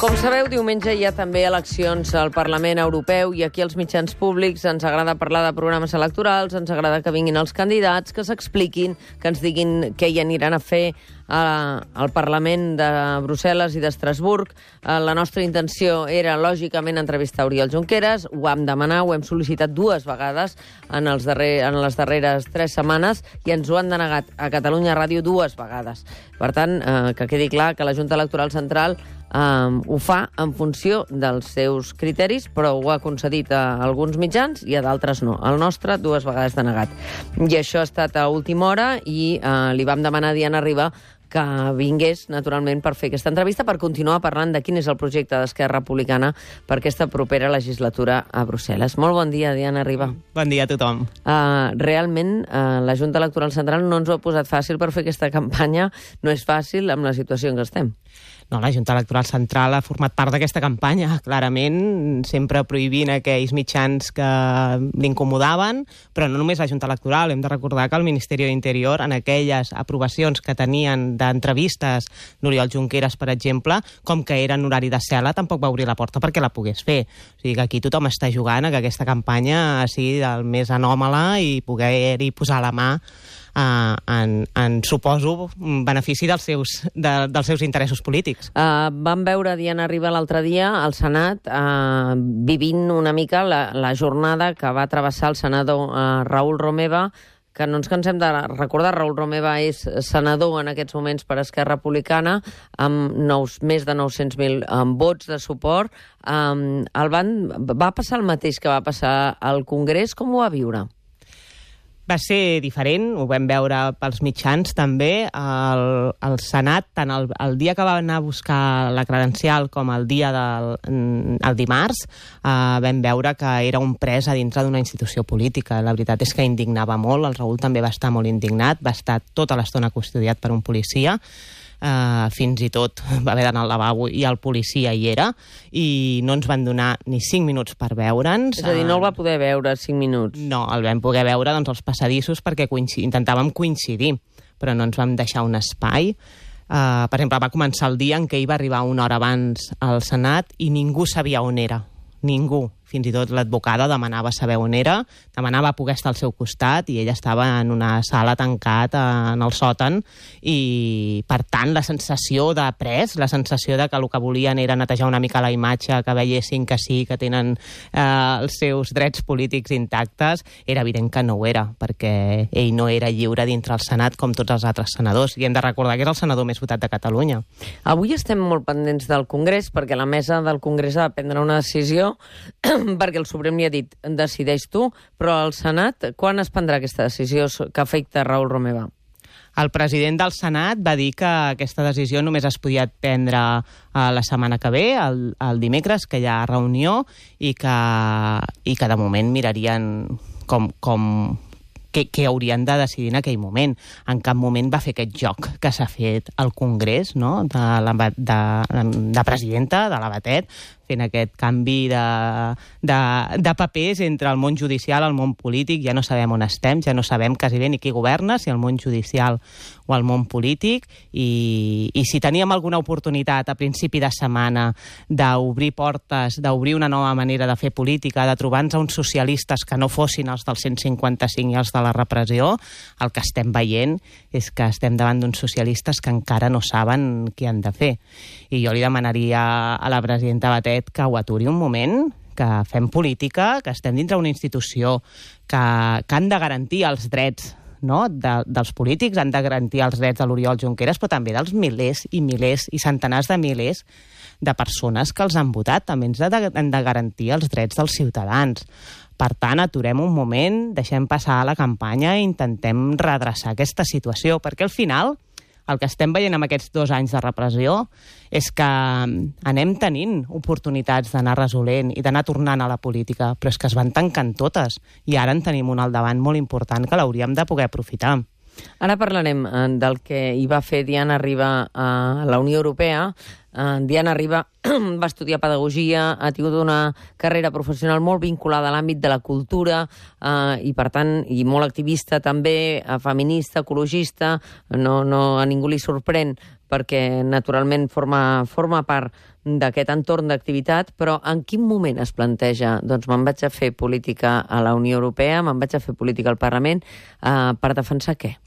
Com sabeu, diumenge hi ha també eleccions al Parlament Europeu i aquí als mitjans públics ens agrada parlar de programes electorals, ens agrada que vinguin els candidats, que s'expliquin, que ens diguin què hi aniran a fer al Parlament de Brussel·les i d'Estrasburg. La nostra intenció era, lògicament, entrevistar Oriol Junqueras. Ho vam demanar, ho hem sol·licitat 2 vegades en les darreres 3 setmanes i ens ho han denegat a Catalunya Ràdio 2 vegades. Per tant, que quedi clar que la Junta Electoral Central ho fa en funció dels seus criteris, però ho ha concedit a alguns mitjans i a d'altres no. El nostre 2 vegades denegat. I això ha estat a última hora i li vam demanar a Diana Riba que vingués, naturalment, per fer aquesta entrevista, per continuar parlant de quin és el projecte d'Esquerra Republicana per aquesta propera legislatura a Brussel·les. Molt bon dia, Diana Riba. Bon dia a tothom. Realment, la Junta Electoral Central no ens ho ha posat fàcil per fer aquesta campanya. No és fàcil amb la situació en què estem. No, la Junta Electoral Central ha format part d'aquesta campanya, clarament, sempre prohibint aquells mitjans que l'incomodaven, però no només la Junta Electoral. Hem de recordar que el Ministeri d'Interior, en aquelles aprovacions que tenien d'entrevistes d'Oriol Junqueras, per exemple, com que era en horari de cel·la, tampoc va obrir la porta perquè la pogués fer. O sigui que aquí tothom està jugant a que aquesta campanya sigui el més anòmala i poder-hi posar la mà en suposo, benefici dels seus interessos polítics. Vam veure Diana Riba l'altre dia al Senat vivint una mica la jornada que va travessar el senador Raül Romeva, que no ens cansem de recordar. Raül Romeva és senador en aquests moments per Esquerra Republicana, amb més de 900.000 vots de suport. Va passar el mateix que va passar al Congrés? Com ho va viure? Va ser diferent, ho vam veure pels mitjans també. El Senat, tant el dia que va anar a buscar la credencial com el dia el dimarts, vam veure que era un pres a dintre d'una institució política. La veritat és que indignava molt, el Raül també va estar molt indignat, va estar tota l'estona custodiat per un policia, fins i tot va haver d'anar al lavabo i el policia hi era, i no ens van donar ni 5 minuts per veure'ns. És a dir, no el va poder veure 5 minuts? No, el vam poder veure als passadissos perquè intentàvem coincidir, però no ens vam deixar un espai. Per exemple, va començar el dia en què ell va arribar una hora abans al Senat i ningú sabia on era. Ningú. Fins i tot l'advocada demanava saber on era, demanava poder estar al seu costat i ella estava en una sala tancat en el sòtan i, per tant, la sensació de pres, la sensació de que el que volien era netejar una mica la imatge, que veiessin que sí, que tenen els seus drets polítics intactes, era evident que no ho era, perquè ell no era lliure dintre el Senat com tots els altres senadors. I hem de recordar que és el senador més votat de Catalunya. Avui estem molt pendents del Congrés, perquè la mesa del Congrés ha de prendre una decisió perquè el Suprem li ha dit, decideix tu, però el Senat, quan es prendrà aquesta decisió que afecta Raül Romeva? El president del Senat va dir que aquesta decisió només es podia prendre la setmana que ve, el dimecres, que hi ha reunió, i que de moment mirarien què haurien de decidir en aquell moment. En cap moment va fer aquest joc que s'ha fet al Congrés, no? de presidenta, de la Batet, fent aquest canvi de papers entre el món judicial i el món polític. Ja no sabem on estem, ja no sabem quasi bé ni qui governa, si el món judicial o el món polític, i si teníem alguna oportunitat a principi de setmana d'obrir portes, d'obrir una nova manera de fer política, de trobar-nos a uns socialistes que no fossin els del 155 i els de la repressió, el que estem veient és que estem davant d'uns socialistes que encara no saben què han de fer. I jo li demanaria a la presidenta Batet que ho aturi un moment, que fem política, que estem dintre d'una institució que han de garantir els drets, no? dels polítics, han de garantir els drets de l'Oriol Junqueras, però també dels milers i milers i centenars de milers de persones que els han votat. També ens han de garantir els drets dels ciutadans. Per tant, aturem un moment, deixem passar la campanya i intentem redreçar aquesta situació, perquè al final el que estem veient amb aquests 2 anys de repressió és que anem tenint oportunitats d'anar resolent i d'anar tornant a la política, però és que es van tancant totes i ara en tenim una al davant molt important que l'hauríem de poder aprofitar. Ara parlarem del que hi va fer Diana Riba a la Unió Europea. Diana Riba va estudiar pedagogia, ha tingut una carrera professional molt vinculada a l'àmbit de la cultura i, per tant, i molt activista també, feminista, ecologista. No a ningú li sorprèn perquè, naturalment, forma part d'aquest entorn d'activitat, però en quin moment es planteja, doncs me'n vaig a fer política a la Unió Europea, me'n vaig a fer política al Parlament, per defensar què?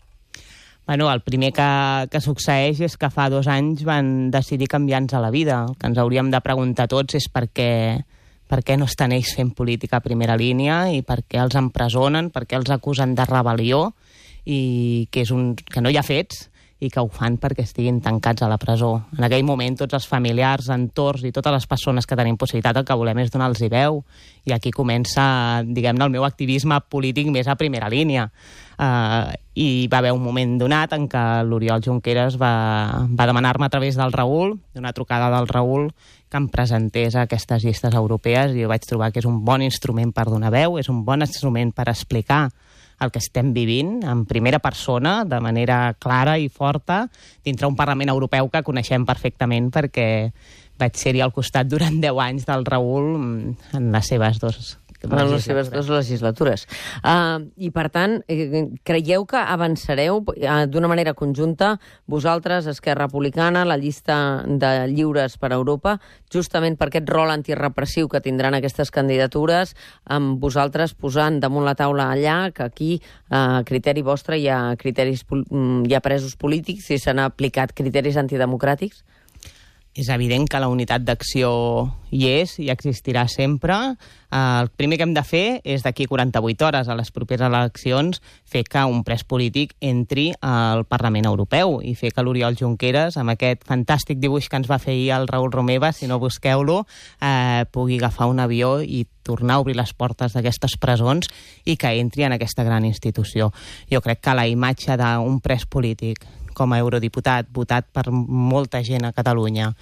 Bueno, el primer que succeeix és que fa 2 anys van decidir canviar-nos la vida. El que ens hauríem de preguntar tots és per què no estan ells fent política a primera línia i per què els empresonen, per què els acusen de rebel·lió i que no hi ha fets i que ho fan perquè estiguin tancats a la presó. En aquell moment tots els familiars, entorns i totes les persones que tenim possibilitat el que volem és donar-los veu, i aquí comença, diguem-ne, el meu activisme polític més a primera línia. I va haver un moment donat en què l'Oriol Junqueras va demanar-me a través del Raül, d'una trucada del Raül, que em presentés a aquestes llistes europees, i jo vaig trobar que és un bon instrument per donar veu, és un bon instrument per explicar el que estem vivint en primera persona, de manera clara i forta, dintre un Parlament Europeu que coneixem perfectament perquè vaig ser-hi al costat durant 10 anys del Raül en les seves dues legislatures. I, per tant, creieu que avançareu d'una manera conjunta, vosaltres, Esquerra Republicana, la llista de Lliures per Europa, justament per aquest rol antirepressiu que tindran aquestes candidatures, amb vosaltres posant damunt la taula allà que aquí, a criteri vostre, hi ha presos polítics i s'han aplicat criteris antidemocràtics? És evident que la unitat d'acció hi és i existirà sempre. El primer que hem de fer és d'aquí 48 hores a les properes eleccions fer que un pres polític entri al Parlament Europeu i fer que l'Oriol Junqueras, amb aquest fantàstic dibuix que ens va fer ahir el Raül Romeva, si no busqueu-lo, pugui agafar un avió i tornar a obrir les portes d'aquestes presons i que entri en aquesta gran institució. Jo crec que la imatge d'un pres polític com a eurodiputat, votat per molta gent a Catalunya,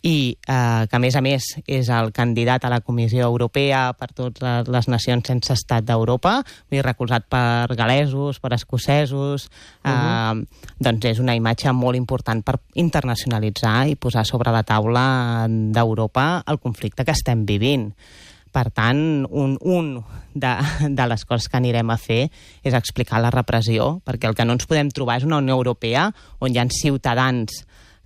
i que, a més, és el candidat a la Comissió Europea per totes les nacions sense estat d'Europa, recolzat per galesos, per escocesos, doncs és una imatge molt important per internacionalitzar i posar sobre la taula d'Europa el conflicte que estem vivint. Per tant, un de les coses que anirem a fer és explicar la repressió, perquè el que no ens podem trobar és una Unió Europea on hi ha ciutadans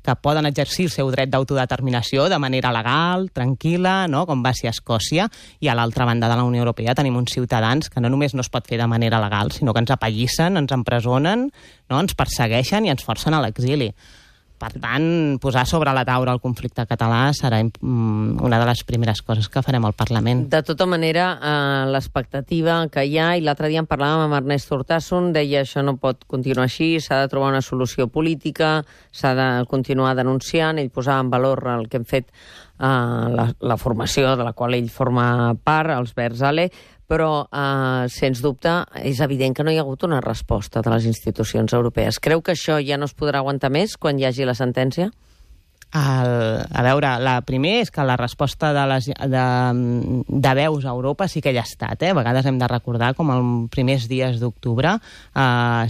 que poden exercir el seu dret d'autodeterminació de manera legal, tranquil·la, no? Com va ser a Escòcia, i a l'altra banda de la Unió Europea tenim uns ciutadans que no només no es pot fer de manera legal, sinó que ens apallissen, ens empresonen, no? Ens persegueixen i ens forcen a l'exili. Per tant, posar sobre la taula el conflicte català serà una de les primeres coses que farem al Parlament. De tota manera, l'expectativa que hi ha, i l'altre dia en parlàvem amb Ernest Urtasun, deia això no pot continuar així, s'ha de trobar una solució política, s'ha de continuar denunciant, ell posava en valor el que hem fet la formació de la qual ell forma part, els Verds Ale, però, sens dubte, és evident que no hi ha hagut una resposta de les institucions europees. Creu que això ja no es podrà aguantar més quan hi hagi la sentència? A veure, la primer és que la resposta de veus a Europa sí que hi ha estat. A vegades hem de recordar com els primers dies d'octubre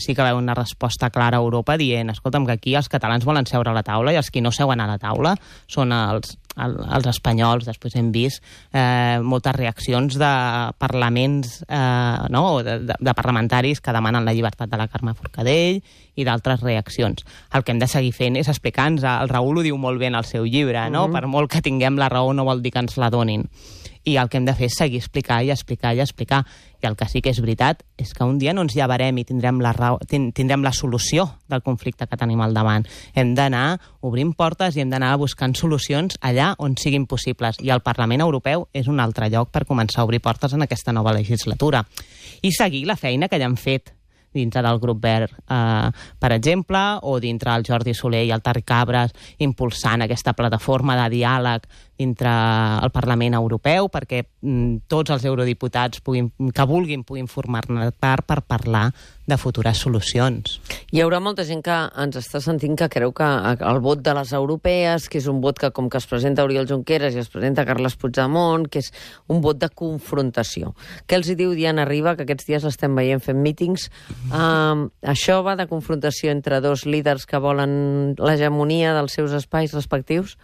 sí que va haver una resposta clara a Europa dient, escolta'm, que aquí els catalans volen seure a la taula i els que no seuen a la taula són els espanyols. Després hem vist moltes reaccions de parlaments, de parlamentaris que demanen la llibertat de la Carme Forcadell i d'altres reaccions. El que hem de seguir fent és explicar-nos, el Raül ho diu molt bé en el seu llibre, no? Per molt que tinguem la raó no vol dir que ens la donin. I el que hem de fer és seguir explicar i explicar i explicar. I el que sí que és veritat és que un dia no ens llevarem i tindrem la solució del conflicte que tenim al davant. Hem d'anar obrint portes i hem d'anar buscant solucions allà on siguin possibles. I el Parlament Europeu és un altre lloc per començar a obrir portes en aquesta nova legislatura. I seguir la feina que ja han fet dintre del grup Verd, per exemple, o dintre el Jordi Soler i el Tari Cabres, impulsant aquesta plataforma de diàleg dintre el Parlament Europeu perquè tots els eurodiputats que vulguin puguin formar-ne part per parlar de futures solucions. Hi haurà molta gent que ens està sentint que creu que el vot de les europees, que és un vot que com que es presenta Oriol Junqueras i es presenta Carles Puigdemont, que és un vot de confrontació. Què els hi diu Diana Riba, que aquests dies l'estem veient fent mítings? Això va de confrontació entre dos líders que volen l'hegemonia dels seus espais respectius?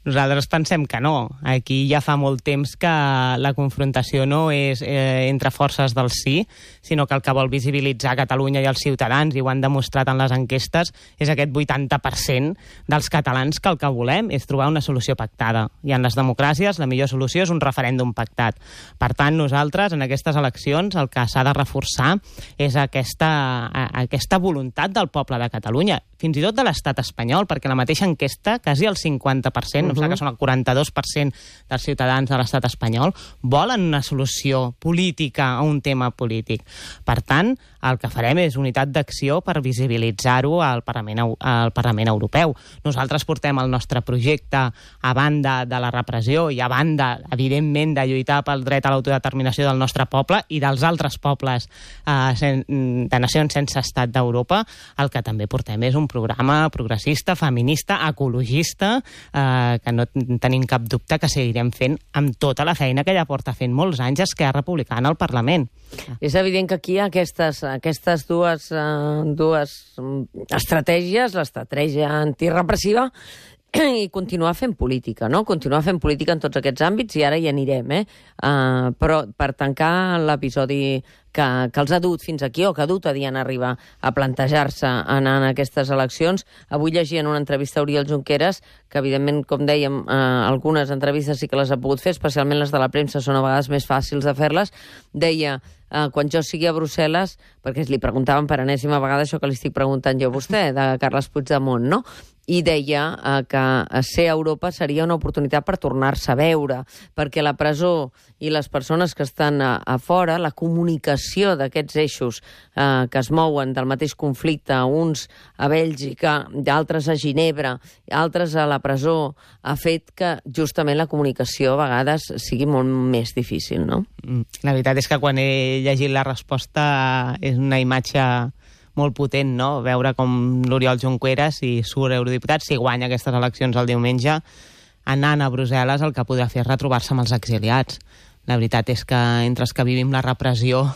Nosaltres pensem que no. Aquí ja fa molt temps que la confrontació no és entre forces del sí, sinó que el que vol visibilitzar Catalunya i els ciutadans, i ho han demostrat en les enquestes, és aquest 80% dels catalans que el que volem és trobar una solució pactada. I en les democràcies la millor solució és un referèndum pactat. Per tant, nosaltres en aquestes eleccions el que s'ha de reforçar és aquesta voluntat del poble de Catalunya, fins i tot de l'estat espanyol, perquè la mateixa enquesta, quasi el 50%, no sé que són el 42% dels ciutadans de l'estat espanyol, volen una solució política a un tema polític. Per tant, el que farem és unitat d'acció per visibilitzar-ho al Parlament Europeu. Nosaltres portem el nostre projecte a banda de la repressió i a banda, evidentment, de lluitar pel dret a l'autodeterminació del nostre poble i dels altres pobles de nacions sense estat d'Europa. El que també portem és un programa progressista, feminista, ecologista, que no tenim cap dubte que seguirem fent amb tota la feina que ja porta fent molts anys Esquerra Republicana al Parlament. És evident que aquí aquestes dues estratègies, l'estratègia antirepressiva i continuar fent política, no? Continuar fent política en tots aquests àmbits, i ara hi anirem, però per tancar l'episodi que els ha dut fins aquí, o que ha dut a Diana Riba a plantejar-se anar en aquestes eleccions. Avui llegia en una entrevista a Oriol Junqueras, que evidentment, com dèiem, algunes entrevistes sí que les ha pogut fer, especialment les de la premsa són a vegades més fàcils de fer-les. Deia, quan jo sigui a Brussel·les, perquè li preguntaven per enèsima vegada això que li estic preguntant jo a vostè, de Carles Puigdemont, no? I deia que ser a Europa seria una oportunitat per tornar-se a veure, perquè la presó i les persones que estan a fora, la comunicació d'aquests eixos que es mouen del mateix conflicte, uns a Bèlgica, d'altres a Ginebra, altres a la presó, ha fet que justament la comunicació a vegades sigui molt més difícil, no? La veritat és que quan he llegit la resposta és una imatge molt potent, no? Veure com l'Oriol Junqueras, si surt eurodiputat, si guanya aquestes eleccions el diumenge, anant a Brussel·les el que podrà fer és retrobar-se amb els exiliats. La veritat és que entre els que vivim la repressió,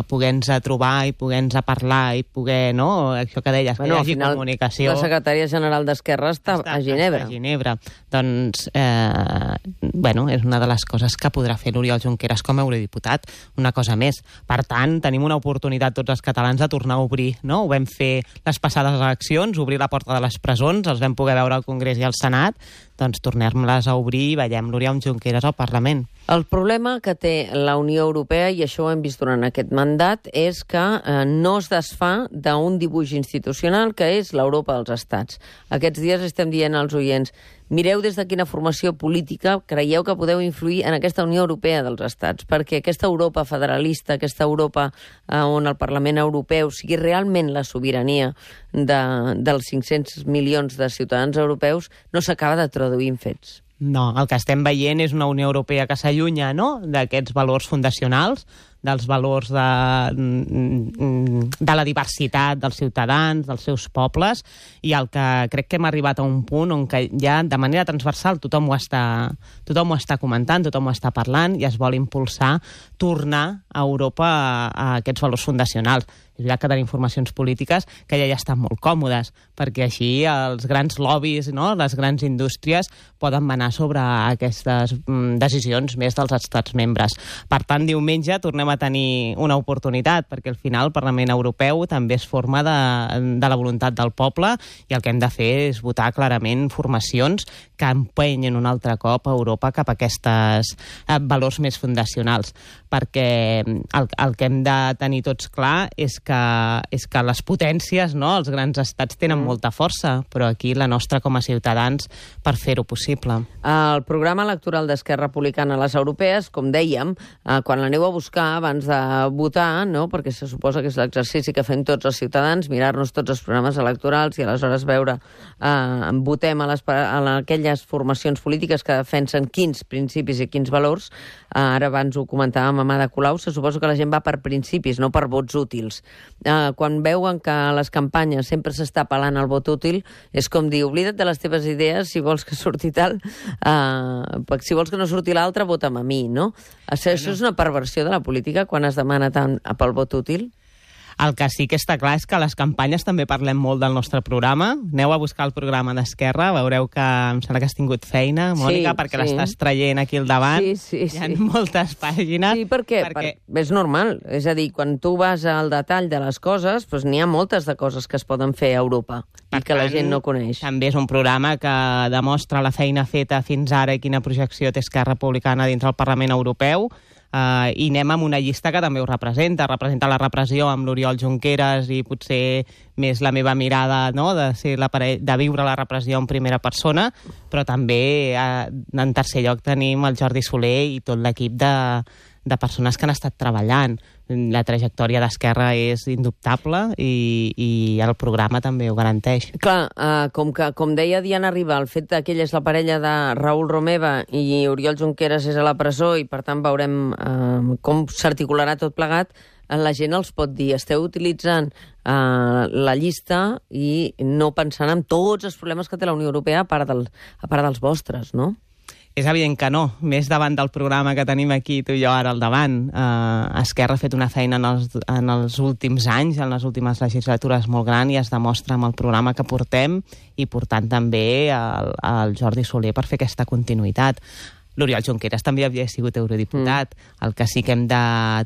poder-nos trobar i poder-nos parlar i poder, no? Això que deies, que hi hagi comunicació. La secretària general d'Esquerra està a Ginebra. A Ginebra. Doncs, és una de les coses que podrà fer l'Oriol Junqueras com a eurodiputat. Una cosa més. Per tant, tenim una oportunitat tots els catalans de tornar a obrir, no? Ho vam fer les passades eleccions, obrir la porta de les presons, els vam poder veure al Congrés i al Senat, doncs tornem-les a obrir i veiem l'Oriol Junqueras al Parlament. El problema que té la Unió Europea, i això ho hem vist durant aquest mandat, és que no es desfà d'un dibuix institucional que és l'Europa dels estats. Aquests dies estem dient als oients, mireu des de quina formació política creieu que podeu influir en aquesta Unió Europea dels estats, perquè aquesta Europa federalista, aquesta Europa on el Parlament Europeu sigui realment la sobirania dels 500 milions de ciutadans europeus, no s'acaba de traduir en fets. No, el que estem veient és una Unió Europea que s'allunya, no?, d'aquests valors fundacionals, dels valors de la diversitat dels ciutadans, dels seus pobles, i el que crec que hem arribat a un punt on que ja de manera transversal tothom ho està comentant, tothom ho està parlant, i es vol impulsar tornar a Europa a aquests valors fundacionals. És veritat que tenim formacions polítiques que ja estan molt còmodes, perquè així els grans lobbies, no?, les grans indústries poden manar sobre aquestes decisions més dels estats membres. Per tant, diumenge tornem a tenir una oportunitat, perquè al final el Parlament Europeu també es forma de la voluntat del poble, i el que hem de fer és votar clarament formacions que empenyen un altre cop a Europa cap a aquests valors més fundacionals, perquè el que hem de tenir tots clar és que les potències, no?, els grans estats tenen molta força, però aquí la nostra com a ciutadans per fer-ho possible. El programa electoral d'Esquerra Republicana a les europees, com dèiem, quan l'aneu a buscar abans de votar, no?, perquè se suposa que és l'exercici que fem tots els ciutadans, mirar-nos tots els programes electorals i aleshores veure, votem a aquelles formacions polítiques que defensen quins principis i quins valors. Ara abans ho comentàvem amb Ada Colau, se suposa que la gent va per principis, no per vots útils. Quan veuen que a les campanyes sempre s'està apel·lant al vot útil, és com dir, oblida't de les teves idees si vols que surti tal, si vols que no surti l'altre, vota'm a mi, no? Això és una perversió de la política quan es demana tant pel vot útil? El que sí que està clar és que a les campanyes també parlem molt del nostre programa. Aneu a buscar el programa d'Esquerra, veureu que em sembla que has tingut feina, Mònica, perquè l'estàs traient aquí al davant. Sí. Hi ha moltes pàgines. Sí, perquè és normal. És a dir, quan tu vas al detall de les coses, doncs n'hi ha moltes de coses que es poden fer a Europa i que la gent no coneix. També és un programa que demostra la feina feta fins ara i quina projecció té Esquerra Republicana dintre el Parlament Europeu. I anem amb una llista que també ho representa la repressió amb l'Oriol Junqueras i potser més la meva mirada, no?, de viure la repressió en primera persona, però també en tercer lloc tenim el Jordi Soler i tot l'equip de persones que han estat treballant. La trajectòria d'Esquerra és indubtable i el programa també ho garanteix. Clar, com deia Diana Riba, el fet que ella és la parella de Raül Romeva i Oriol Junqueras és a la presó i per tant veurem com s'articularà tot plegat, la gent els pot dir, esteu utilitzant la llista i no pensant en tots els problemes que té la Unió Europea a part dels vostres, no? És evident que no, més davant del programa que tenim aquí tu i jo ara al davant. Esquerra ha fet una feina en els últims anys, en les últimes legislatures molt gran i es demostra amb el programa que portem i portant també el Jordi Soler per fer aquesta continuïtat. L'Oriol Junqueras també havia sigut eurodiputat. El que sí que hem de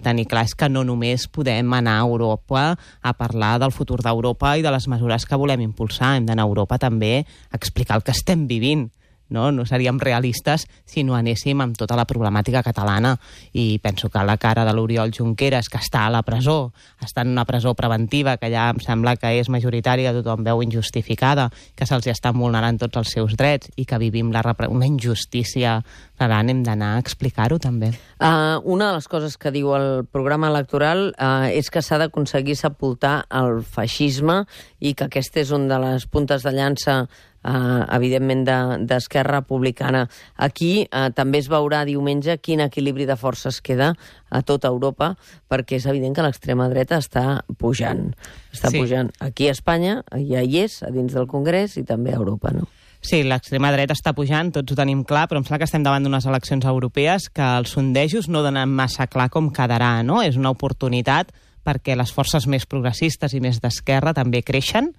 tenir clar és que no només podem anar a Europa a parlar del futur d'Europa i de les mesures que volem impulsar. Hem d'anar a Europa també a explicar el que estem vivint. No seríem realistes si no anéssim amb tota la problemàtica catalana. I penso que la cara de l'Oriol Junqueras, que està a la presó, està en una presó preventiva, que ja em sembla que és majoritària, tothom veu injustificada, que se'ls estan vulnerant tots els seus drets i que vivim una injustícia gran, hem d'anar a explicar-ho també. Una de les coses que diu el programa electoral és que s'ha d'aconseguir sepultar el feixisme i que aquesta és una de les puntes de llança evidentment d'Esquerra Republicana. Aquí també es veurà diumenge quin equilibri de forces queda a tota Europa, perquè és evident que l'extrema dreta està pujant. Pujant aquí a Espanya, ja hi és, a dins del Congrés i també a Europa, no? Sí, l'extrema dreta està pujant, tots ho tenim clar, però em sembla que estem davant d'unes eleccions europees que els sondejos no donen massa clar com quedarà, no? És una oportunitat perquè les forces més progressistes i més d'esquerra també creixen,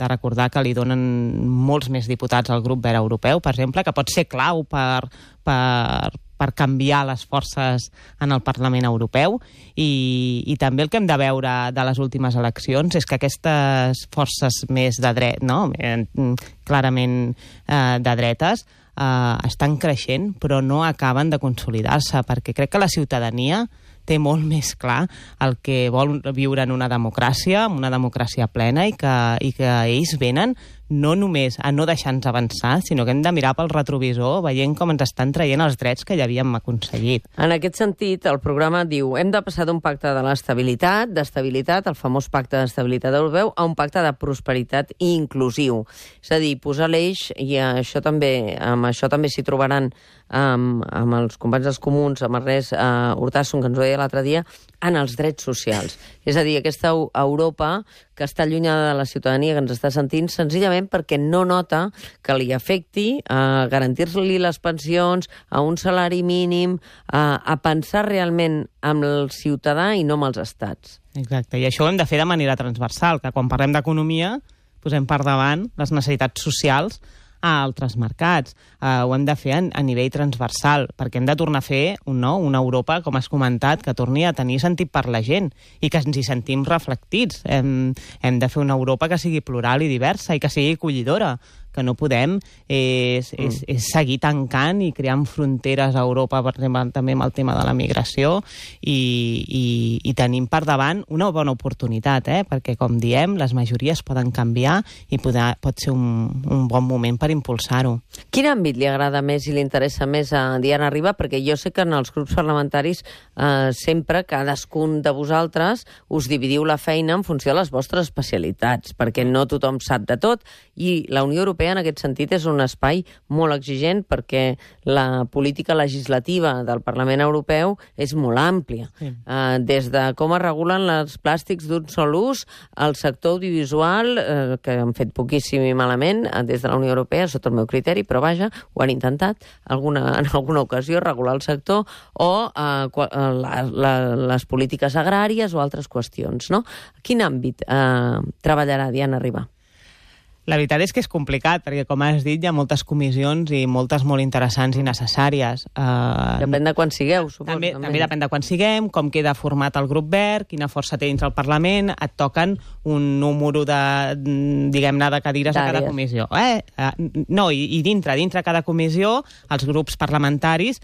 de recordar que li donen molts més diputats al grup verd europeu, per exemple, que pot ser clau per canviar les forces en el Parlament Europeu. I també el que hem de veure de les últimes eleccions és que aquestes forces més de dret, no? Clarament de dretes, estan creixent, però no acaben de consolidar-se, perquè crec que la ciutadania té molt més clar el que vol viure en una democràcia plena i que ells venen no només a no deixar-nos avançar, sinó que hem de mirar pel retrovisor veient com ens estan traient els drets que ja havíem aconseguit. En aquest sentit, el programa diu hem de passar d'un pacte de d'estabilitat, el famós pacte d'estabilitat europeu, a un pacte de prosperitat inclusiu. És a dir, posar l'eix, i amb això també s'hi trobaran amb els companys dels comuns, amb Ernest Urtasun, que ens ho deia l'altre dia, en els drets socials. És a dir, aquesta Europa que està allunyada de la ciutadania, que ens està sentint, senzillament perquè no nota que li afecti a garantir-li les pensions, a un salari mínim, a pensar realment amb el ciutadà i no amb els estats. Exacte, i això ho hem de fer de manera transversal, que quan parlem d'economia posem per davant les necessitats socials a altres mercats. Ho hem de fer a nivell transversal, perquè hem de tornar a fer una Europa, com has comentat, que torni a tenir sentit per la gent i que ens hi sentim reflectits. Hem de fer una Europa que sigui plural i diversa i que sigui acollidora. Que no podem és seguir tancant i creant fronteres a Europa, per exemple, també amb el tema de la migració, i tenim per davant una bona oportunitat, perquè, com diem, les majories poden canviar i pot ser un bon moment per impulsar-ho. Quin àmbit li agrada més i li interessa més a Diana Riba? Perquè jo sé que en els grups parlamentaris sempre cadascun de vosaltres us dividiu la feina en funció de les vostres especialitats, perquè no tothom sap de tot, i la Unió Europea Europea, en aquest sentit, és un espai molt exigent perquè la política legislativa del Parlament Europeu és molt àmplia. Sí. Des de com es regulen els plàstics d'un sol ús, al sector audiovisual, que han fet poquíssim i malament des de la Unió Europea, sota el meu criteri, però vaja, ho han intentat en alguna ocasió, regular el sector, o les polítiques agràries o altres qüestions, no? Quin àmbit treballarà Diana Ribà? La veritat és que és complicat, perquè, com has dit, hi ha moltes comissions i moltes molt interessants i necessàries. Depèn de quan sigueu, suposo. També depèn de quan siguem, com queda format el grup verd, quina força té dins el Parlament, et toquen un número de, diguem-ne, de cadires a cada comissió. No, i dintre cada comissió, els grups parlamentaris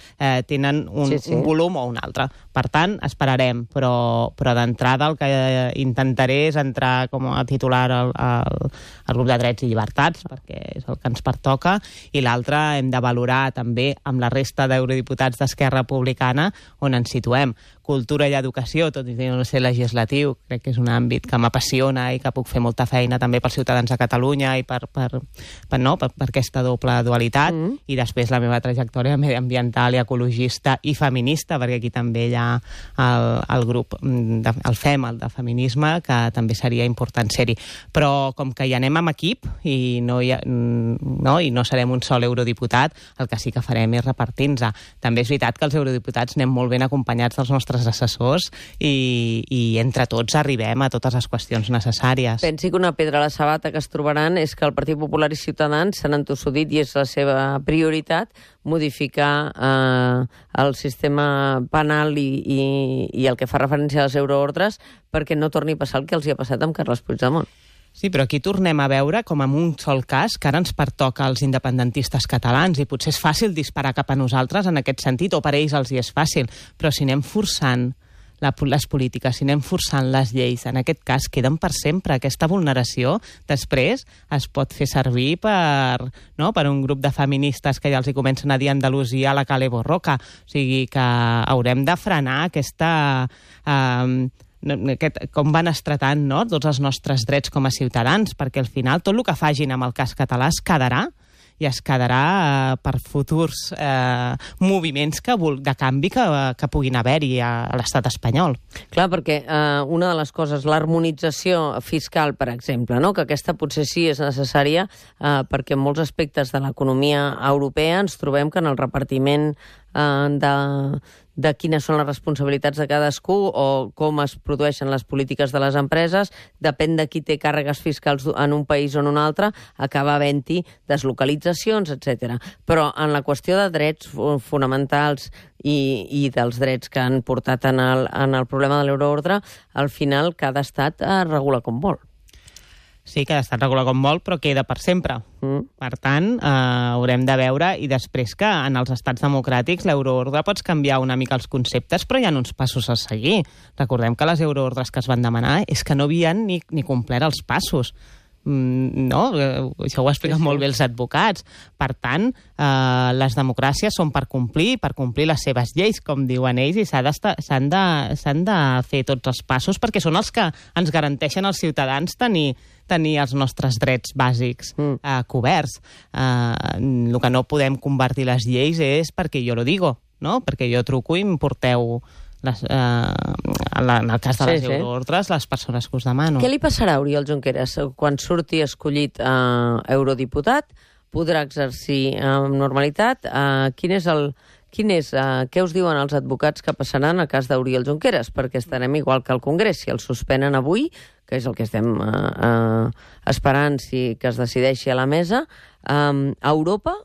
tenen un volum o un altre. Per tant, esperarem, però d'entrada el que intentaré és entrar com a titular al grup de drets i llibertats, perquè és el que ens pertoca, i l'altre hem de valorar també amb la resta d'eurodiputats d'Esquerra Republicana on ens situem. Cultura i educació, tot i no ser legislatiu, crec que és un àmbit que m'apassiona i que puc fer molta feina també pels ciutadans de Catalunya i per aquesta doble dualitat, i després la meva trajectòria mediambiental i ecologista i feminista, perquè aquí també hi ha el grup, el FEM, el de feminisme, que també seria important ser-hi. Però com que hi anem amb equip i no serem un sol eurodiputat, el que sí que farem és repartir-nos. També és veritat que els eurodiputats anem molt ben acompanyats dels nostres assessors i entre tots arribem a totes les qüestions necessàries. Pensi que una pedra a la sabata que es trobaran és que el Partit Popular i Ciutadans s'han entossudit i és la seva prioritat modificar el sistema penal i el que fa referència a les euroordres perquè no torni a passar el que els hi ha passat amb Carles Puigdemont. Sí, però aquí tornem a veure, com en un sol cas, que ara ens pertoca als independentistes catalans i potser és fàcil disparar cap a nosaltres en aquest sentit, o per ells els hi és fàcil, però si anem forçant les polítiques, si anem forçant les lleis, en aquest cas queden per sempre. Aquesta vulneració després es pot fer servir per un grup de feministes que ja els hi comencen a dir Andalusia a la Cale Borroca. O sigui que haurem de frenar com van estratant tots els nostres drets com a ciutadans, perquè al final tot el que fagin amb el cas català es quedarà, i es quedarà per futurs moviments de canvi que puguin haver-hi a l'estat espanyol. Clar, perquè una de les coses, l'harmonització fiscal, per exemple, que aquesta potser sí és necessària perquè en molts aspectes de l'economia europea ens trobem que en el repartiment de quines són les responsabilitats de cadascú o com es produeixen les polítiques de les empreses, depèn de qui té càrregues fiscals en un país o en un altre, acaba havent-hi deslocalitzacions, etc. Però en la qüestió de drets fonamentals i dels drets que han portat en el problema de l'euroordre, al final cada estat regula com vol. Sí, cada estat regula com vol, però queda per sempre. Per tant, haurem de veure, i després que en els estats democràtics l'euroordre pots canviar una mica els conceptes, però hi ha uns passos a seguir. Recordem que les euroordres que es van demanar és que no havien ni complert els passos. Això ho expliquen molt bé els advocats. Per tant, les democràcies són per complir les seves lleis, com diuen ells, i s'han de fer tots els passos perquè són els que ens garanteixen als ciutadans tenir els nostres drets bàsics coberts. El que no podem convertir les lleis és perquè jo lo digo, perquè jo truco i em porteu en el cas de les euroordres, les persones que us demano. Què li passarà a Oriol Junqueras quan surti escollit eurodiputat? Podrà exercir amb normalitat? Què us diuen els advocats que passaran en el cas d'Oriol Junqueras? Perquè estarem igual que al Congrés. Si el suspenen avui, que és el que estem esperant que es decideixi a la mesa, a Europa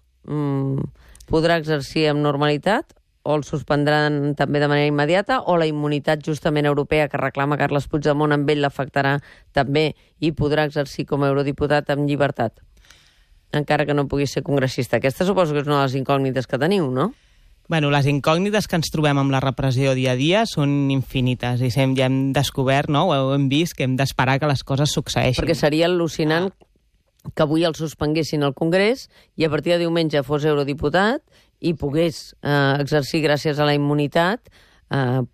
podrà exercir amb normalitat o el suspendran també de manera immediata, o la immunitat justament europea que reclama Carles Puigdemont amb ell l'afectarà també i podrà exercir com a eurodiputat amb llibertat, encara que no pugui ser congressista. Aquesta suposo que és una de les incògnites que teniu, no? Bueno, les incògnites que ens trobem amb la repressió dia a dia són infinites i ja hem descobert, ho hem vist, que hem d'esperar que les coses succeeixin. Perquè seria al·lucinant que avui el suspenguessin al Congrés i a partir de diumenge fos eurodiputat i pogués exercir gràcies a la immunitat,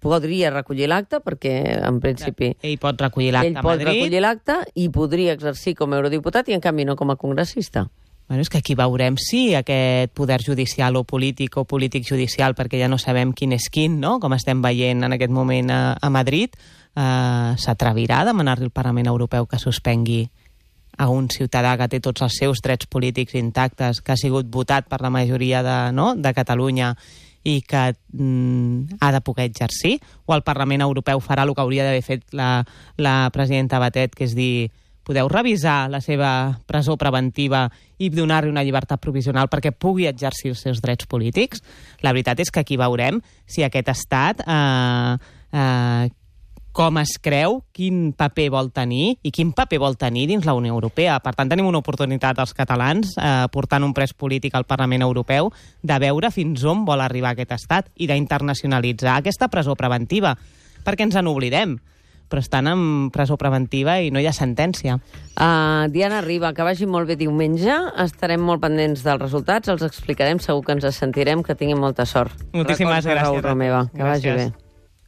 podria recollir l'acte, perquè en principi ell pot recollir l'acte a Madrid. Ell pot recollir l'acte i podria exercir com a eurodiputat i en canvi no com a congressista. Bueno, és que aquí veurem si aquest poder judicial o polític judicial, perquè ja no sabem quin és quin, no? Com estem veient en aquest moment a Madrid, s'atrevirà a demanar-li al Parlament Europeu que suspengui a un ciutadà que té tots els seus drets polítics intactes, que ha sigut votat per la majoria de Catalunya i que ha de poder exercir, o el Parlament Europeu farà el que hauria d'haver fet la presidenta Batet, que és dir, podeu revisar la seva presó preventiva i donar-li una llibertat provisional perquè pugui exercir els seus drets polítics? La veritat és que aquí veurem si aquest estat com es creu, quin paper vol tenir i quin paper vol tenir dins la Unió Europea. Per tant, tenim una oportunitat els catalans, portant un pres polític al Parlament Europeu, de veure fins on vol arribar aquest estat i d'internacionalitzar aquesta presó preventiva, perquè ens en oblidem, però estan en presó preventiva i no hi ha sentència. Diana Riba, que vagi molt bé diumenge. Estarem molt pendents dels resultats, els explicarem, segur que ens sentirem, que tinguin molta sort. Moltíssimes gràcies. Raül Romeva, que vagi bé.